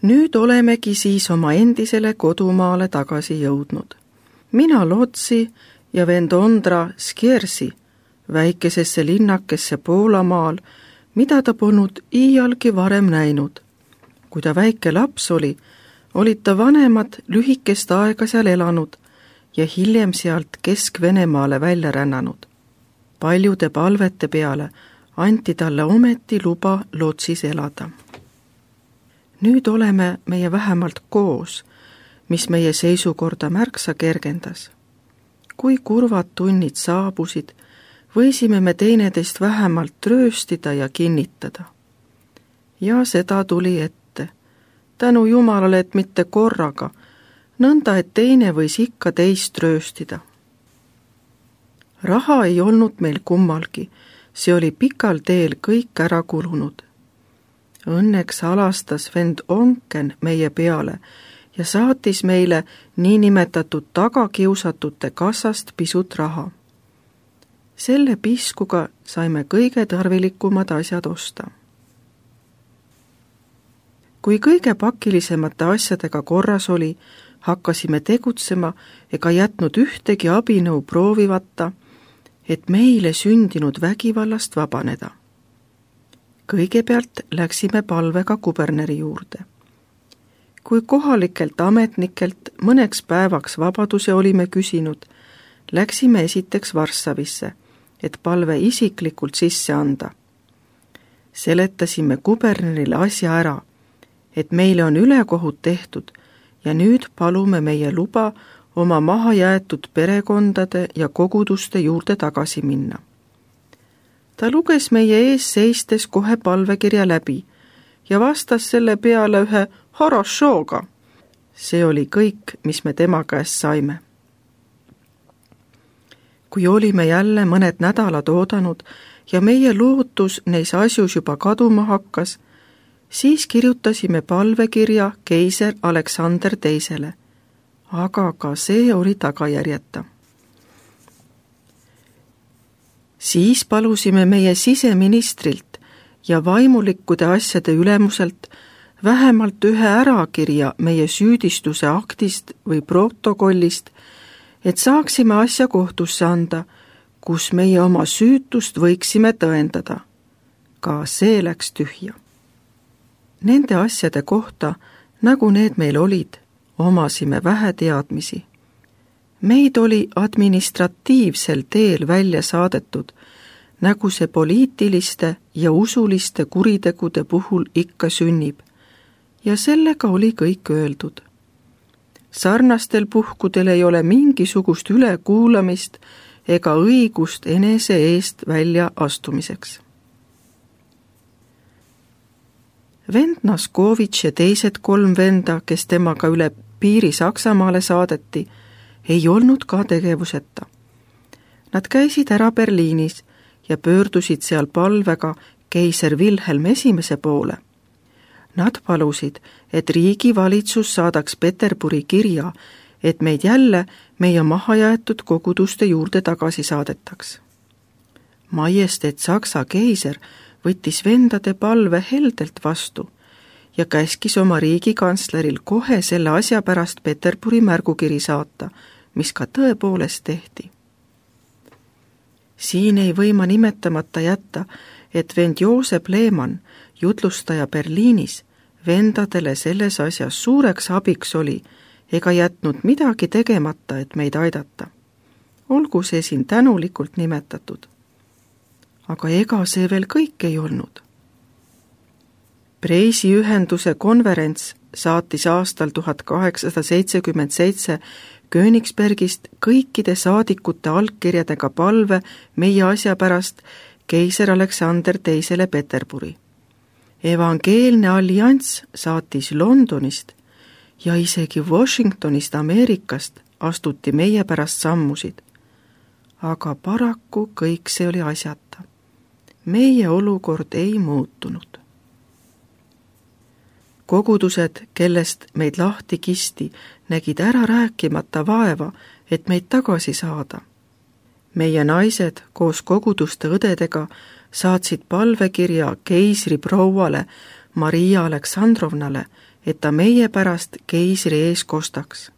Nüüd olemegi siis oma endisele kodumaale tagasi jõudnud. Mina Lotsi ja vend Ondra Skiersi väikesesse linnakesse Poolamaal, mida ta polnud iialgi varem näinud. Kui ta väike laps oli, olid ta vanemad lühikest aega seal elanud ja hiljem sealt Kesk-Venemaale välja rännanud. Paljude palvete peale anti talle ometi luba Lotsis elada. Nüüd oleme meie vähemalt koos, mis meie seisukorda märksa kergendas. Kui kurvad tunnid saabusid, võisime me teineteist vähemalt trööstida ja kinnitada. Ja seda tuli ette. Tänu Jumalale, et mitte korraga, nõnda, et teine võis ikka teist trööstida. Raha ei olnud meil kummalgi, see oli pikal teel kõik ära kulunud. Õnneks alastas vend Onken meie peale ja saatis meile niinimetatud tagakiusatute kassast pisut raha. Selle piskuga saime kõige tarvilikumad asjad osta. Kui kõige pakilisemate asjadega korras oli, hakkasime tegutsema ega jätnud ühtegi abinõu proovivata, et meile sündinud vägivallast vabaneda. Kõigepealt läksime palvega kuberneri juurde. Kui kohalikelt ametnikelt mõneks päevaks vabaduse olime küsinud, läksime esiteks Varssavisse, et palve isiklikult sisse anda. Seletasime kubernerile asja ära, et meile on ülekohut tehtud ja nüüd palume meie luba oma mahajäetud perekondade ja koguduste juurde tagasi minna. Ta luges meie ees seistes kohe palvekirja läbi ja vastas selle peale ühe horošooga. See oli kõik, mis me tema käest saime. Kui olime jälle mõned nädalad oodanud ja meie lootus neis asjus juba kaduma hakkas, siis kirjutasime palvekirja keiser Aleksander II, aga ka see oli tagajärjeta. Siis palusime meie siseministrilt ja vaimulikkude asjade ülemuselt vähemalt ühe ärakirja meie süüdistuse aktist või protokollist, et saaksime asja kohtusse anda, kus meie oma süütust võiksime tõendada. Ka see läks tühja. Nende asjade kohta, nagu need meil olid, omasime vähe teadmisi. Meid oli administratiivsel teel välja saadetud, nagu see poliitiliste ja usuliste kuritegude puhul ikka sünnib, ja sellega oli kõik öeldud. Sarnastel puhkudel ei ole mingisugust ülekuulamist ega õigust enese eest välja astumiseks. Vend Naskovitš ja teised 3 venda, kes temaga üle piiri Saksamaale saadeti, ei olnud ka tegevuseta. Nad käisid ära Berliinis ja pöördusid seal palvega keiser Wilhelm I poole. Nad palusid, et riigivalitsus saadaks Peterburi kirja, et meid jälle meie mahajäetud koguduste juurde tagasi saadetaks. Majesteet Saksa keiser võttis vendade palve heldelt vastu ja käskis oma riigikantsleril kohe selle asja pärast Peterburi märgukiri saata, mis ka tõepoolest tehti. Siin ei või ma nimetamata jätta, et vend Joosep Lehmann, jutlustaja Berliinis, vendadele selles asjas suureks abiks oli ega jätnud midagi tegemata, et meid aidata. Olgu see siin tänulikult nimetatud. Aga ega see veel kõik ei olnud. Preisi ühenduse konverents saatis aastal 1877 Königsbergist kõikide saadikute allkirjadega palve meie asja pärast keiser Aleksander II Peterburi. Evangeelne allianss saatis Londonist ja isegi Washingtonist Ameerikast astuti meie pärast sammusid. Aga paraku kõik see oli asjata. Meie olukord ei muutunud. Kogudused, kellest meid lahti kisti, nägid ära rääkimata vaeva, et meid tagasi saada. Meie naised koos koguduste õdedega saatsid palvekirja keisri prouale Maria Aleksandrovnale, et ta meie pärast keisri ees kostaks.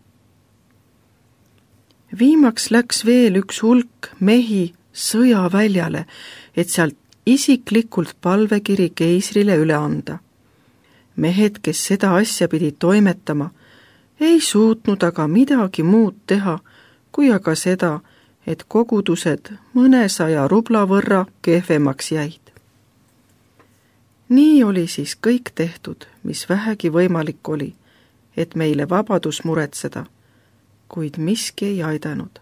Viimaks läks veel üks hulk mehi sõjaväljale, et sealt isiklikult palvekiri keisrile üle anda. Mehed, kes seda asja pidid toimetama, ei suutnud aga midagi muud teha, kui aga seda, et kogudused mõnesaja rubla võrra kehvemaks jäid. Nii oli siis kõik tehtud, mis vähegi võimalik oli, et meile vabadus muretseda, kuid miski ei aidanud.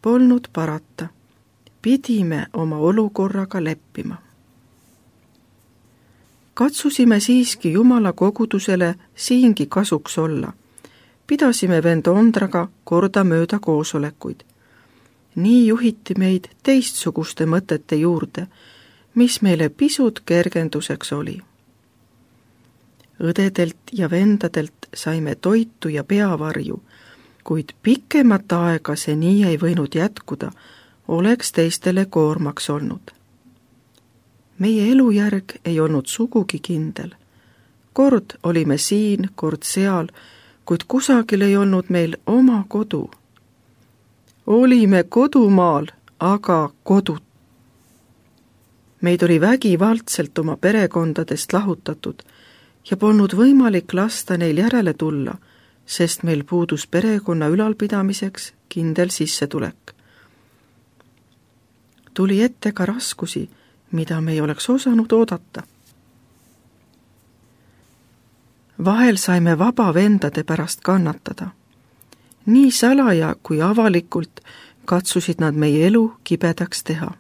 Polnud parata, pidime oma olukorraga leppima. Katsusime siiski Jumala kogudusele siingi kasuks olla. Pidasime vend Ondraga kordamööda koosolekuid. Nii juhiti meid teistsuguste mõtete juurde, mis meile pisut kergenduseks oli. Õdedelt ja vendadelt saime toitu ja peavarju, kuid pikemat aega see nii ei võinud jätkuda, oleks teistele koormaks olnud. Meie elujärg ei olnud sugugi kindel. Kord olime siin, kord seal, kuid kusagil ei olnud meil oma kodu. Olime kodumaal, aga kodut. Meid oli vägivaldselt oma perekondadest lahutatud ja polnud võimalik lasta neil järele tulla, sest meil puudus perekonna ülalpidamiseks kindel sissetulek. Tuli ette ka raskusi, mida me ei oleks osanud oodata. Vahel saime vaba vendade pärast kannatada. Nii salaja kui avalikult katsusid nad meie elu kibedaks teha.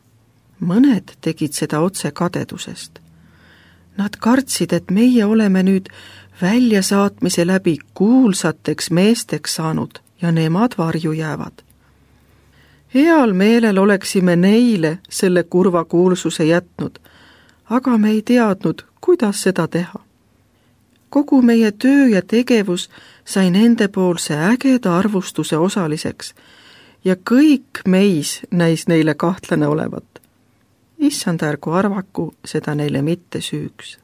Mõned tegid seda otse kadedusest. Nad kartsid, et meie oleme nüüd väljasaatmise läbi kuulsateks meesteks saanud ja nemad varju jäävad. Heal meelel oleksime neile selle kurva kuulsuse jätnud, aga me ei teadnud, kuidas seda teha. Kogu meie töö ja tegevus sai nendepoolse ägeda arvustuse osaliseks ja kõik meis näis neile kahtlane olevat. Issand ärgu arvaku seda neile mitte süüks.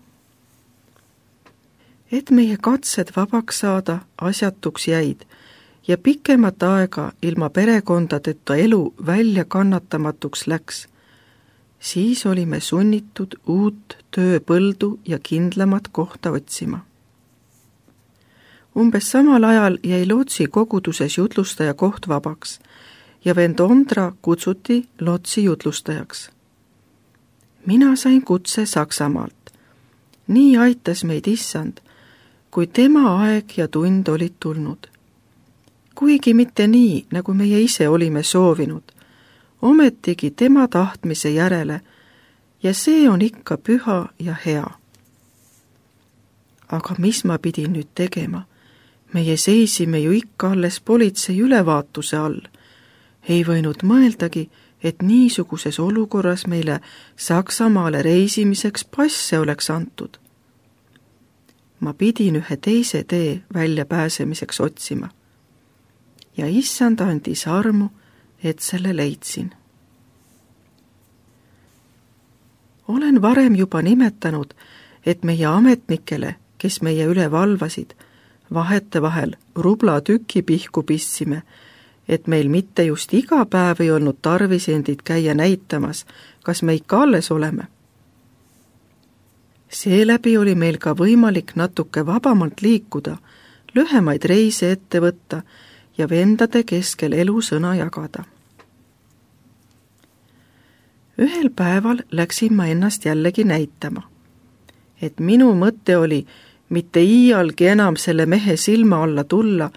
Et meie katsed vabaks saada asjatuks jäid ja pikemat aega ilma perekondadeta elu välja kannatamatuks läks, siis olime sunnitud uut tööpõldu ja kindlamat kohta otsima. Umbes samal ajal jäi Lotsi koguduses jutlustaja koht vabaks ja vend Ondra kutsuti Lotsi jutlustajaks. Mina sain kutse Saksamaalt. Nii aitas meid Issand, kui tema aeg ja tund olid tulnud. Kuigi mitte nii, nagu meie ise olime soovinud, ometigi tema tahtmise järele ja see on ikka püha ja hea. Aga mis ma pidin nüüd tegema? Meie seisime ju ikka alles politsei ülevaatuse all. Ei võinud mõeldagi, et niisuguses olukorras meile Saksamaale reisimiseks passe oleks antud. Ma pidin ühe teise tee väljapääsemiseks otsima. Ja Issand andis armu, et selle leidsin. Olen varem juba nimetanud, et meie ametnikele, kes meie üle valvasid, vahetevahel rubla tüki pihku pistsime, et meil mitte just iga päev ei olnud tarvis endid käia näitamas, kas me ikka alles oleme. Seeläbi oli meil ka võimalik natuke vabamalt liikuda, lühemaid reise ette võtta ja vendade keskel elusõna jagada. Ühel päeval läksin ma ennast jällegi näitama, et minu mõte oli mitte iialgi enam selle mehe silma alla tulla,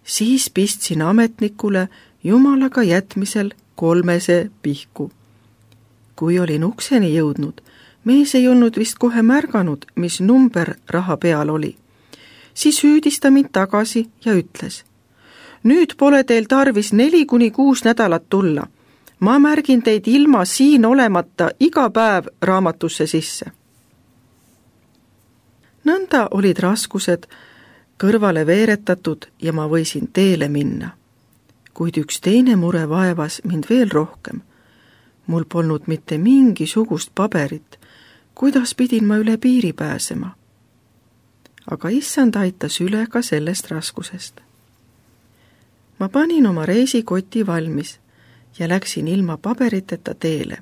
siis pistsin ametnikule Jumalaga jätmisel 3 pihku. Kui olin ukseni jõudnud, mees ei olnud vist kohe märganud, mis number raha peal oli. Siis hüüdis ta mind tagasi ja ütles: nüüd pole teil tarvis 4-6 nädalat tulla. Ma märgin teid ilma siin olemata iga päev raamatusse sisse. Nõnda olid raskused kõrvale veeretatud ja ma võisin teele minna. Kuid üks teine mure vaevas mind veel rohkem. Mul polnud mitte mingisugust paberit, kuidas pidin ma üle piiri pääsema. aga issand aitas üle ka sellest raskusest. Ma panin oma reisikoti valmis ja läksin ilma paberiteta teele.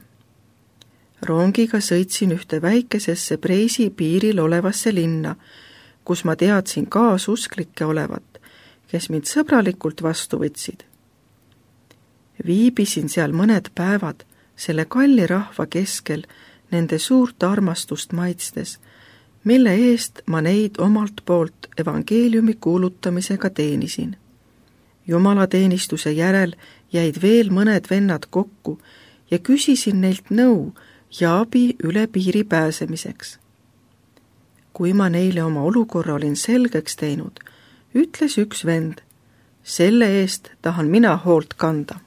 Rongiga sõitsin ühte väikesesse Preisi piiril olevasse linna, kus ma teadsin kaasusklikke olevat, kes mind sõbralikult vastu võtsid. Viibisin seal mõned päevad selle kalli rahva keskel nende suurt armastust maitstes, mille eest ma neid omalt poolt evangeeliumi kuulutamisega teenisin. Jumalateenistuse järel jäid veel mõned vennad kokku ja küsisin neilt nõu ja abi üle piiri pääsemiseks. Kui ma neile oma olukorra olin selgeks teinud, ütles üks vend, selle eest tahan mina hoolt kanda.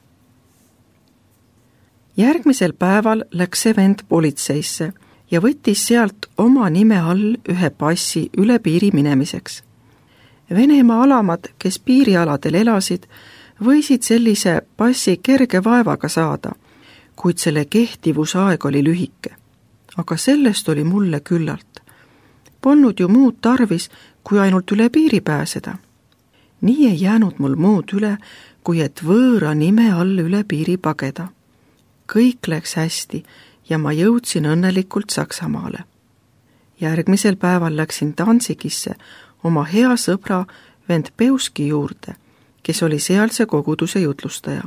Järgmisel päeval läks see vend politseisse ja võttis sealt oma nime all ühe passi üle piiri minemiseks. Venemaa alamad, kes piirialadel elasid, võisid sellise passi kerge vaevaga saada, kuid selle kehtivusaeg oli lühike. Aga sellest oli mulle küllalt. Polnud ju muud tarvis, kui ainult üle piiri pääseda. Nii ei jäänud mul muud üle, kui et võõra nime all üle piiri pageda. Kõik läks hästi ja ma jõudsin õnnelikult Saksamaale. Järgmisel päeval läksin Danzigisse oma hea sõbra vend Peuski juurde, kes oli sealse koguduse jutlustaja.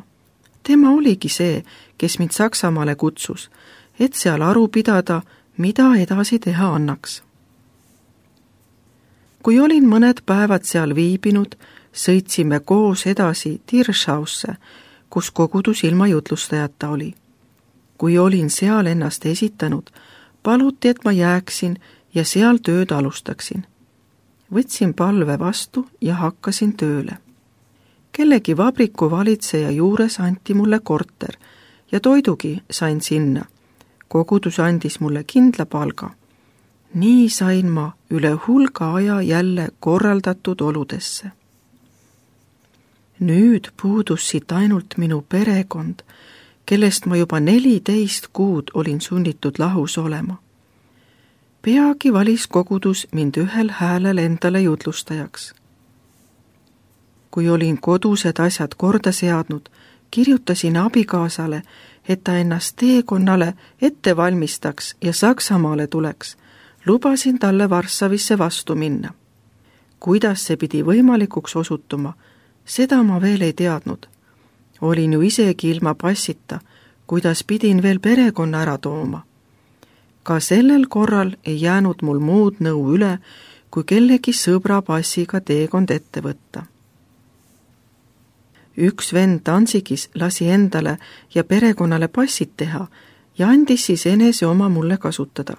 Tema oligi see, kes mind Saksamaale kutsus, et seal aru pidada, mida edasi teha annaks. Kui olin mõned päevad seal viibinud, sõitsime koos edasi Tirschausse, kus kogudus ilma jutlustajata oli. Kui olin seal ennast esitanud, paluti, et ma jääksin ja seal tööd alustaksin. Võtsin palve vastu ja hakkasin tööle. Kellegi vabriku valitseja juures anti mulle korter ja toidugi sain sinna. Kogudus andis mulle kindla palga. Nii sain ma üle hulga aja jälle korraldatud oludesse. Nüüd puudus siit ainult minu perekond, kellest ma juba 14 kuud olin sunnitud lahus olema. Peagi valis kogudus mind ühel häälel endale jutlustajaks. Kui olin kodused asjad korda seadnud, kirjutasin abikaasale, et ta ennast teekonnale ette valmistaks ja Saksamaale tuleks. Lubasin talle Varssavisse vastu minna. Kuidas see pidi võimalikuks osutuma, seda ma veel ei teadnud. Olin ju isegi ilma passita, kuidas pidin veel perekonna ära tooma. Ka sellel korral ei jäänud mul muud nõu üle, kui kellegi sõbra passiga teekond ette võtta. Üks vend Danzigis lasi endale ja perekonnale passid teha ja andis siis enese oma mulle kasutada.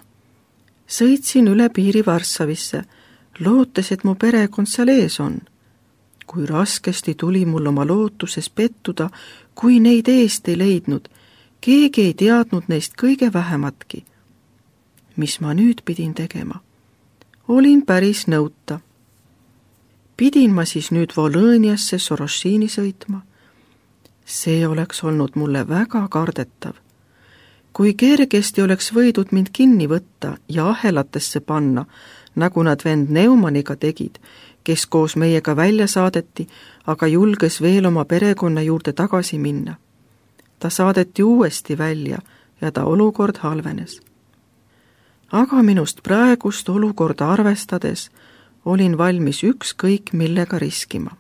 Sõitsin üle piiri Varssavisse, lootes, et mu perekond seal ees on. Kui raskesti tuli mul oma lootuses pettuda, kui neid eest ei leidnud, keegi ei teadnud neist kõige vähematki. Mis ma nüüd pidin tegema? Olin päris nõuta. Pidin ma siis nüüd Volõniasse Sorošini sõitma? See oleks olnud mulle väga kardetav. Kui kergesti oleks võidud mind kinni võtta ja ahelatesse panna, nagu nad vend Neumaniga tegid, kes koos meiega välja saadeti, aga julges veel oma perekonna juurde tagasi minna. Ta saadeti uuesti välja ja ta olukord halvenes. Aga minust praegust olukorda arvestades olin valmis ükskõik millega riskima.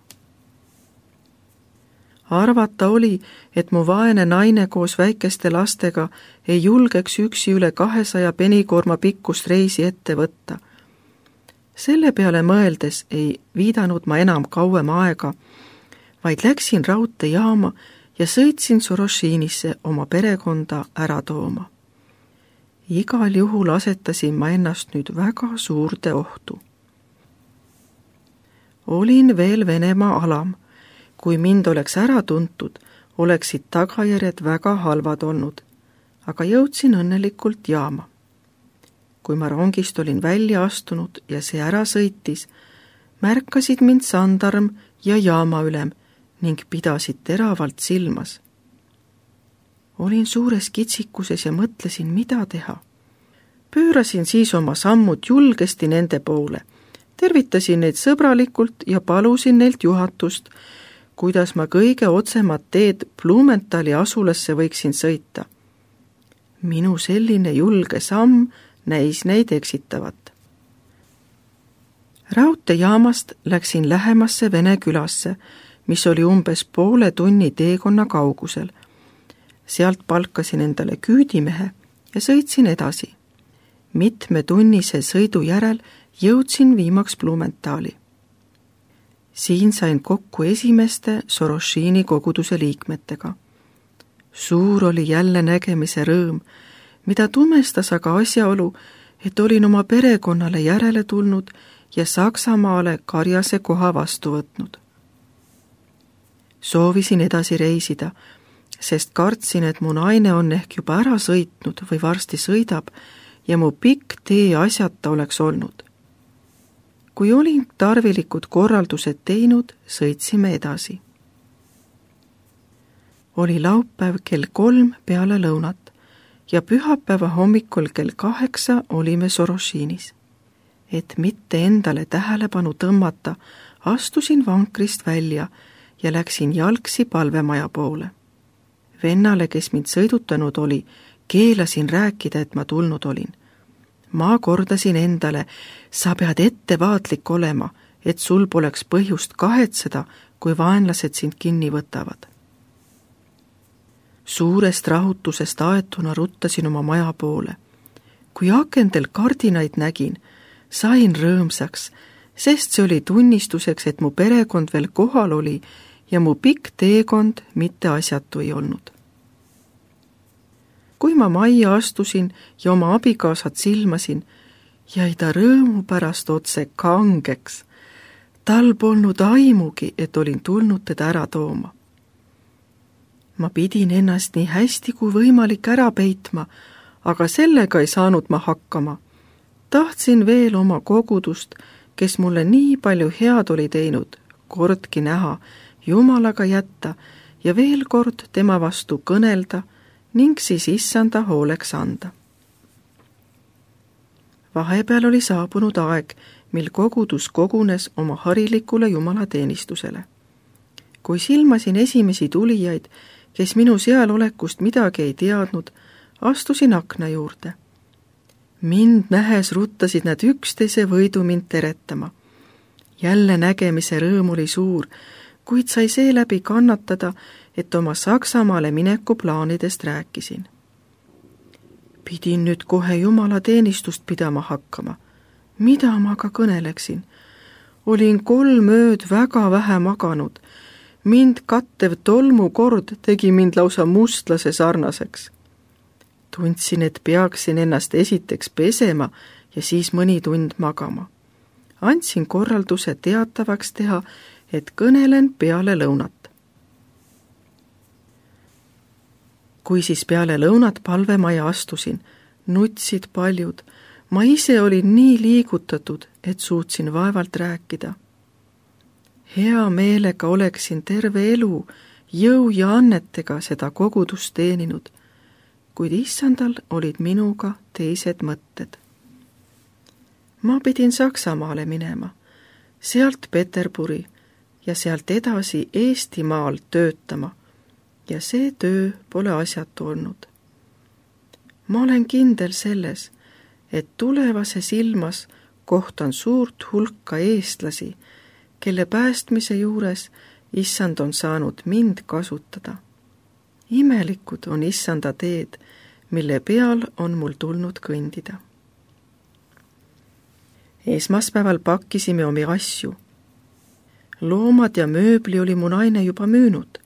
Arvata oli, et mu vaene naine koos väikeste lastega ei julgeks üksi üle 200 penikoorma pikkust reisi ette võtta. Selle peale mõeldes ei viidanud ma enam kauem aega, vaid läksin raudteejaama ja sõitsin Sorošinisse oma perekonda ära tooma. Igal juhul asetasin ma ennast nüüd väga suurde ohtu. Olin veel Venemaa alam. Kui mind oleks ära tuntud, oleksid tagajärjed väga halvad olnud, aga jõudsin õnnelikult jaama. Kui ma rongist olin välja astunud ja see ära sõitis, märkasid mind sandarm ja jaamaülem ning pidasid teravalt silmas. Olin suures kitsikuses ja mõtlesin, mida teha. Pöörasin siis oma sammud julgesti nende poole, tervitasin neid sõbralikult ja palusin neilt juhatust, kuidas ma kõige otsemat teed Blumenthali asulasse võiksin sõita. Minu selline julge samm näis neid eksitavat. Raudteejaamast läksin lähemasse Vene külasse, mis oli umbes poole tunni teekonna kaugusel. Sealt palkasin endale küüdimehe ja sõitsin edasi. Mitme tunnise sõidu järel jõudsin viimaks Blumenthali. Siin sain kokku esimeste Soroshini koguduse liikmetega. Suur oli jälle nägemise rõõm, mida tumestas aga asjaolu, et olin oma perekonnale järele tulnud ja Saksamaale karjase koha vastu võtnud. Soovisin edasi reisida, sest kartsin, et mu naine on ehk juba ära sõitnud või varsti sõidab ja mu pikk tee asjata oleks olnud. Kui olin tarvilikud korraldused teinud, sõitsime edasi. Oli laupäev kell 3 peale lõunat ja pühapäeva hommikul kell 8 olime Soroshinis. Et mitte endale tähelepanu tõmmata, astusin vankrist välja ja läksin jalgsi palvemaja poole. Vennale, kes mind sõidutanud oli, keelasin rääkida, et ma tulnud olin. Ma kordasin endale, sa pead ettevaatlik olema, et sul poleks põhjust kahetseda, kui vaenlased sind kinni võtavad. Suurest rahutusest aetuna ruttasin oma maja poole. Kui akendel kardinaid nägin, sain rõõmsaks, sest see oli tunnistuseks, et mu perekond veel kohal oli ja mu pikk teekond mitte asjatu ei olnud. Kui ma majja astusin ja oma abikaasat silmasin, jäi ta rõõmu pärast otse kangeks. Tal polnud aimugi, et olin tulnud teda ära tooma. Ma pidin ennast nii hästi kui võimalik ära peitma, aga sellega ei saanud ma hakkama. Tahtsin veel oma kogudust, kes mulle nii palju head oli teinud, kordki näha, Jumalaga jätta ja veel kord tema vastu kõnelda ning siis issanda hooleks anda. Vahepeal oli saabunud aeg, mil kogudus kogunes oma harilikule jumalateenistusele. Kui silmasin esimesi tulijaid, kes minu sealolekust midagi ei teadnud, astusin akna juurde. Mind nähes ruttasid nad üksteise võidu mind teretama. Jälle nägemise rõõm oli suur, kuid sai seeläbi kannatada, et oma Saksamaale mineku plaanidest rääkisin. Pidin nüüd kohe jumalateenistust pidama hakkama. Mida ma ka kõneleksin? Olin 3 ööd väga vähe maganud. Mind kattev tolmukord tegi mind lausa mustlase sarnaseks. Tundsin, et peaksin ennast esiteks pesema ja siis mõni tund magama. Andsin korralduse teatavaks teha, et kõnelen peale lõunat. Kui siis peale lõunat palvemaja astusin, nutsid paljud. Ma ise olin nii liigutatud, et suutsin vaevalt rääkida. Hea meelega oleksin terve elu jõu ja annetega seda kogudust teeninud, kuid issandal olid minuga teised mõtted. Ma pidin Saksamaale minema, sealt Peterburi ja sealt edasi Eestimaal töötama ja see töö pole asjatu olnud. Ma olen kindel selles, et tulevases ilmas kohtan suurt hulka eestlasi, kelle päästmise juures issand on saanud mind kasutada. Imelikud on issanda teed, mille peal on mul tulnud kõndida. Esmaspäeval pakkisime omi asju. Loomad ja mööbli oli mu naine juba müünud.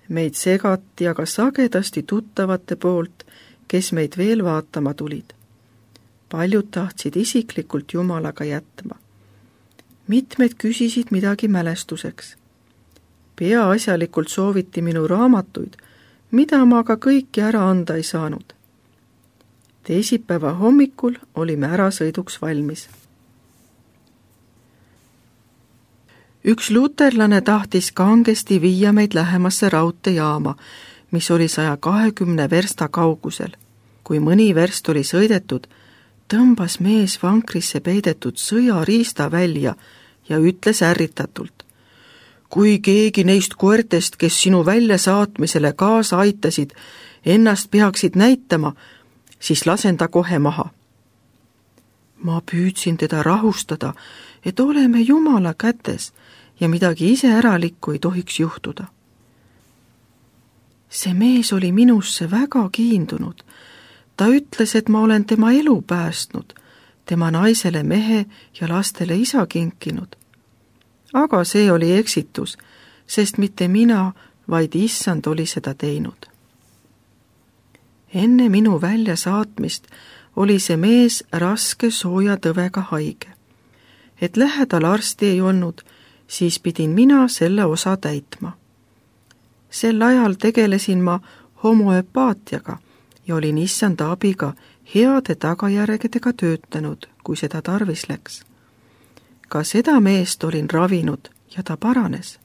Meid segati aga sagedasti tuttavate poolt, kes meid veel vaatama tulid. Paljud tahtsid isiklikult Jumalaga jätma. Mitmed küsisid midagi mälestuseks. Peaasjalikult sooviti minu raamatuid, mida ma aga kõiki ära anda ei saanud. Teisipäeva hommikul olime ärasõiduks valmis. Üks luterlane tahtis kangesti viia meid lähemasse raudteejaama, mis oli 120 versta kaugusel. Kui mõni verst oli sõidetud, tõmbas mees vankrisse peidetud sõjariista välja ja ütles ärritatult: kui keegi neist koertest, kes sinu väljasaatmisele kaasa aitasid, ennast peaksid näitama, siis lasen ta kohe maha. Ma püüdsin teda rahustada, et oleme Jumala kätes ja midagi iseäralikku ei tohiks juhtuda. See mees oli minusse väga kiindunud. Ta ütles, et ma olen tema elu päästnud, tema naisele mehe ja lastele isa kinkinud. Aga see oli eksitus, sest mitte mina, vaid Issand oli seda teinud. Enne minu väljasaatmist oli see mees raske sooja tõvega haige. Et lähedal arsti ei olnud, siis pidin mina selle osa täitma. Sel ajal tegelesin ma homoöpaatiaga ja olin Issanda abiga heade tagajärgedega töötanud, kui seda tarvis läks. Ka seda meest olin ravinud ja ta paranes.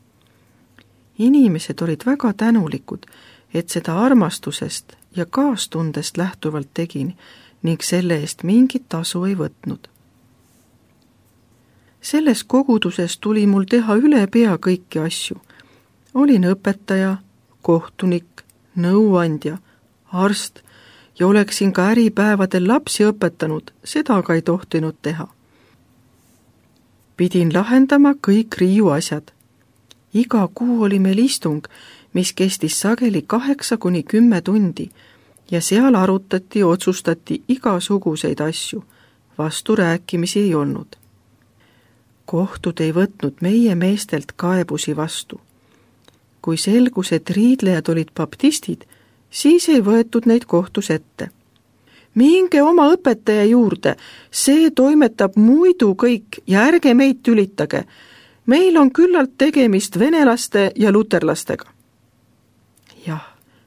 Inimesed olid väga tänulikud, et seda armastusest ja kaastundest lähtuvalt tegin ning selle eest mingit tasu ei võtnud. Selles koguduses tuli mul teha üle pea kõiki asju. Olin õpetaja, kohtunik, nõuandja, arst ja oleksin ka äripäevadel lapsi õpetanud, seda aga ei tohtinud teha. Pidin lahendama kõik riiu asjad. Iga kuu oli meil istung, mis kestis sageli 8–10 tundi ja seal arutati ja otsustati igasuguseid asju, vasturääkimisi ei olnud. Kohtud ei võtnud meie meestelt kaebusi vastu. Kui selgus, et riidlejad olid baptistid, siis ei võetud neid kohtus ette. Minge oma õpetaja juurde, see toimetab muidu kõik ja ärge meid tülitage. Meil on küllalt tegemist venelaste ja luterlastega. Jah,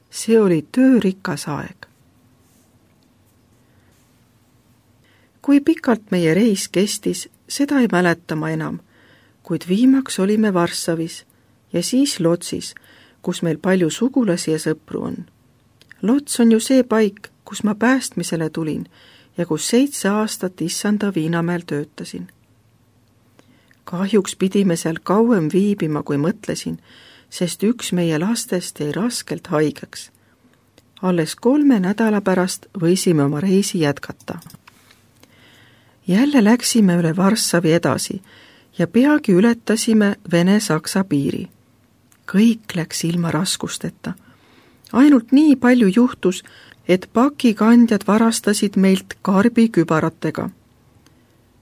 see oli töörikas aeg. Kui pikalt meie reis kestis, seda ei mäleta ma enam, kuid viimaks olime Varssavis ja siis Lodzis, kus meil palju sugulasi ja sõpru on. Lodz on ju see paik, kus ma päästmisele tulin ja kus 7 aastat Issanda Viinamäel töötasin. Kahjuks pidime seal kauem viibima, kui mõtlesin, sest üks meie lastest jäi raskelt haigeks. Alles 3 nädala pärast võisime oma reisi jätkata. Jälle läksime üle Varssavi edasi ja peagi ületasime Vene-Saksa piiri. Kõik läks ilma raskusteta. Ainult nii palju juhtus, et pakikandjad varastasid meilt karbikübaratega.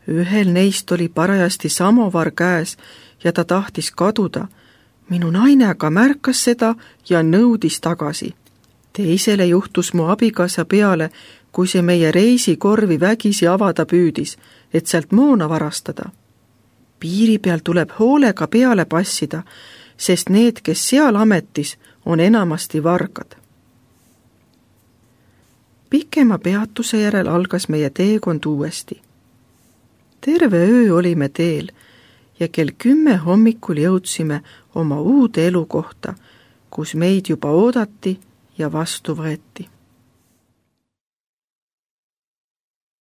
Ühel neist oli parajasti samovar käes ja ta tahtis kaduda. Minu naine aga märkas seda ja nõudis tagasi. Teisele juhtus mu abikaasa peale, kui see meie reisikorvi vägisi avada püüdis, et sealt moona varastada. Piiri peal tuleb hoolega peale passida, sest need, kes seal ametis, on enamasti vargad. Pikema peatuse järel algas meie teekond uuesti. Terve öö olime teel ja kell 10 hommikul jõudsime oma uude elukohta, kus meid juba oodati ja vastu võeti.